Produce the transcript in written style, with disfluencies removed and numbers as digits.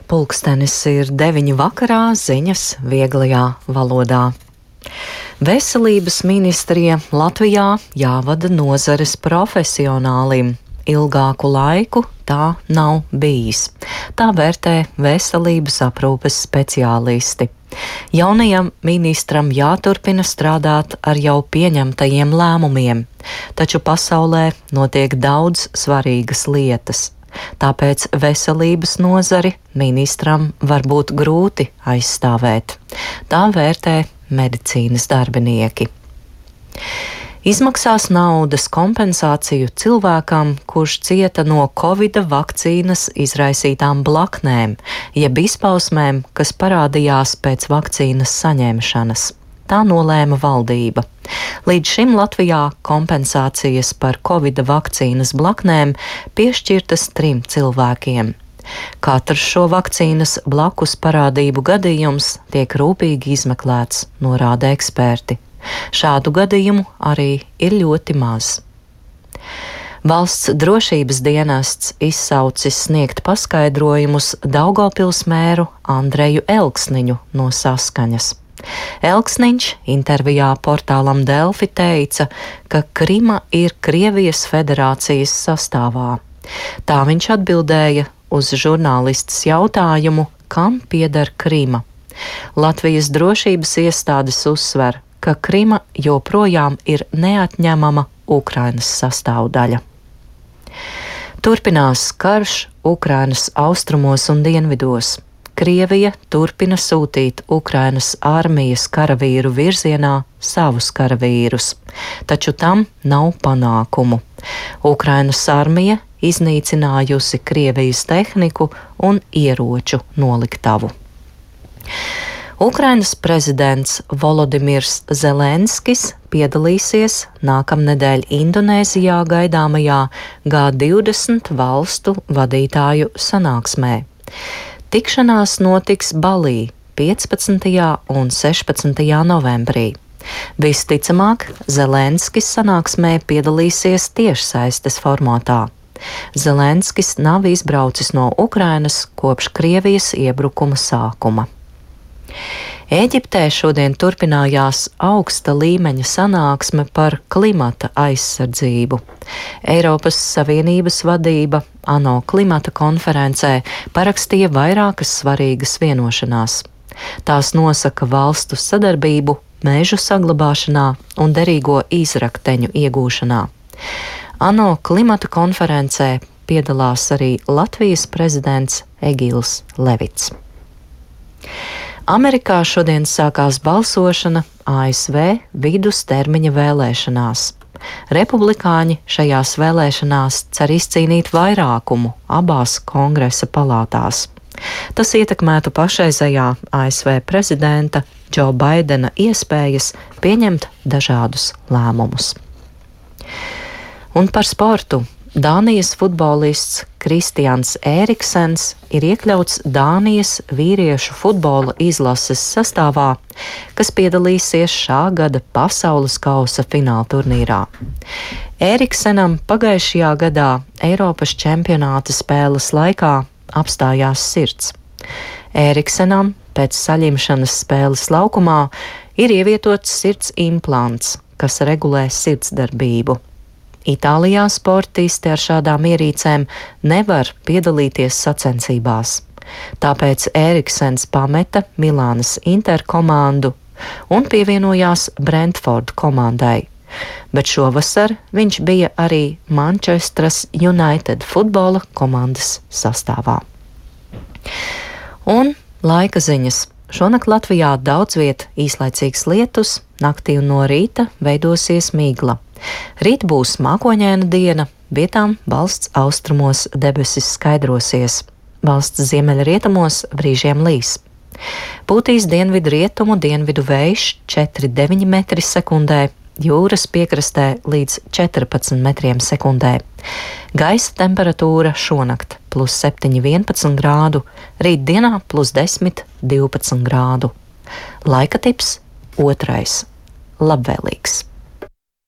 Pulkstenis ir 9 vakarā, ziņas vieglajā valodā. Veselības ministrija Latvijā jāvada nozares profesionālim. Ilgāku laiku tā nav bijis. Tā vērtē veselības aprūpes speciālisti. Jaunajam ministram jāturpina strādāt ar jau pieņemtajiem lēmumiem, taču pasaulē notiek daudz svarīgas lietas. Tāpēc veselības nozari ministram var būt grūti aizstāvēt. Tā vērtē medicīnas darbinieki. Izmaksās naudas kompensāciju cilvēkam, kurš cieta no Covida vakcīnas izraisītām blaknēm, jeb izpausmēm, kas parādījās pēc vakcīnas saņemšanas. Tā nolēma valdība. Līdz šim Latvijā kompensācijas par Covida vakcīnas blaknēm piešķirtas 3 cilvēkiem. Katrs šo vakcīnas blakus parādību gadījums tiek rūpīgi izmeklēts, norāda eksperti. Šādu gadījumu arī ir ļoti maz. Valsts drošības dienests izsaucis sniegt paskaidrojumus Daugavpils mēru Andreju Elksniņu no Saskaņas. Elksniņš intervijā portālam Delfi teica, ka Krima ir Krievijas federācijas sastāvā. Tā viņš atbildēja uz žurnālistes jautājumu, kam pieder Krima. Latvijas drošības iestādes uzsver, ka Krima joprojām ir neatņemama Ukrainas sastāvdaļa. Turpinās karš Ukrainas austrumos un dienvidos. Krievija turpina sūtīt Ukrainas armijas karavīru virzienā savus karavīrus, taču tam nav panākumu. Ukrainas armija iznīcinājusi Krievijas tehniku un ieroču noliktavu. Ukrainas prezidents Volodimirs Zelenskis piedalīsies nākamnedēļ Indonēzijā gaidāmajā G20 valstu vadītāju sanāksmē. Tikšanās notiks Balī 15. un 16. novembrī. Visticamāk, Zelenskis sanāksmē piedalīsies tiešsaistes formātā. Zelenskis nav izbraucis no Ukrainas kopš Krievijas iebrukuma sākuma. Ēģiptē šodien turpinājās augsta līmeņa sanāksme par klimata aizsardzību. Eiropas Savienības vadība ANO klimata konferencē parakstīja vairākas svarīgas vienošanās. Tās nosaka valstu sadarbību mežu saglabāšanā un derīgo izrakteņu iegūšanā. ANO klimata konferencē piedalās arī Latvijas prezidents Egils Levits. Amerikā šodien sākās balsošana ASV vidustermiņa vēlēšanās. Republikāņi šajās vēlēšanās cer izcīnīt vairākumu abās kongresa palātās. Tas ietekmētu pašreizējā ASV prezidenta Džo Baidena iespējas pieņemt dažādus lēmumus. Un par sportu. Dānijas futbolists Kristians Ēriksens ir iekļauts Dānijas vīriešu futbola izlases sastāvā, kas piedalīsies šā gada pasaules kausa fināla turnīrā. Ēriksenam pagājušajā gadā Eiropas čempionāta spēles laikā apstājās sirds. Ēriksenam pēc saļimšanas spēles laukumā ir ievietots sirds implants, kas regulē sirdsdarbību. Itālijā sportisti ar šādām ierīcēm nevar piedalīties sacensībās. Tāpēc Ēriksens pameta Milānas Inter komandu un pievienojās Brentford komandai. Bet šovasar viņš bija arī Manchesteras United futbola komandas sastāvā. Un laika ziņas. Šonakt Latvijā daudz viet īslaicīgs lietus, naktī un no rīta veidosies migla. Rīt būs mākoņaina diena, vietām valsts austrumos debesis skaidrosies. Valsts ziemeļrietumos brīžiem līs. Pūtīs dienvidu rietumu dienvidu vējš 4,9 metri sekundē, jūras piekrastē līdz 14 metriem sekundē. Gaisa temperatūra šonakt +7, 11 grādu, rītdienā +10, 12 grādu. Laika tips 2. Labvēlīgs.